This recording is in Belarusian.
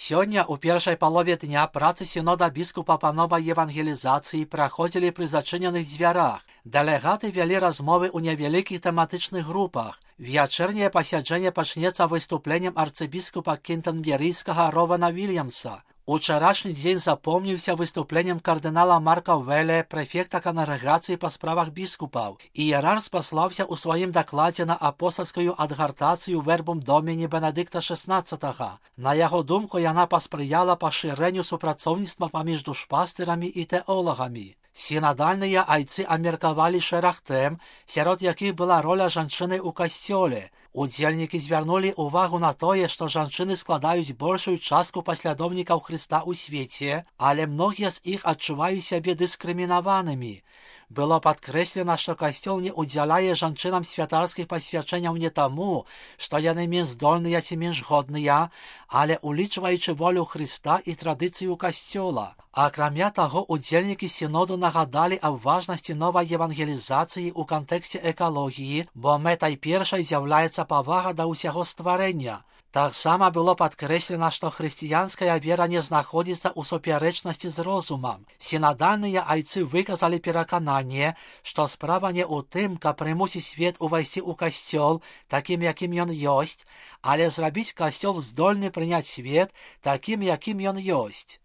Сёння ў першай палове дня працы сінода біскупа па новай евангелізацыі праходзілі пры зачыненых дзвярах. Дэлегаты вялі размовы ў невялікіх тэматычных групах. Вячэрняе пасяджэнне пачнецца выступленнем арцыбіскупа кентэрберыйскага Рована Вільямса. Учарашні дзень запомніўся выступленнем кардынала Марка Веле, прэфекта кангрэгацыі па справах біскупаў. Іерарх спаслаўся ў сваім дакладзе на апостальскую адгартацыю Вербум Доміні Бенедыкта XVI. На яго думку, яна паспрыяла пашырэнню супрацоўніцтва паміж душпастырамі і тэолагамі. Сінадальныя айцы абмеркавалі шэраг тэм, сярод якіх была роля жанчыны ў касцёле. Удзельнікі звярнулі ўвагу на тое, што жанчыны складаюць большую частку паслядоўнікаў Хрыста ў свеце, але многія з іх адчуваюць сябе дыскрымінаванымі. Было падкрэслена, што касцёл не ўдзяляе жанчынам святарскіх пасвячэнняў не таму, што яны менш здольныя ці менш годныя, але улічваючы волю Хрыста і традыцыю касцёла. Акрамя таго, удзельнікі сіноду нагадалі аб важнасці новай евангелізацыі ў кантэксце экалогіі, бо мэтай першай з'яўляецца павага да ўсяго стварэння. Таксама было падкрэслена, што хрысціянская вера не знаходзіцца ў супярэчнасці з розумам. Сінадальныя айцы выказалі перакананне, што справа не ў тым, каб прымусіць свет увайсці ў касцёл такім, якім ён ёсць, але зрабіць касцёл здольны прыняць свет такім, якім ён ёсць.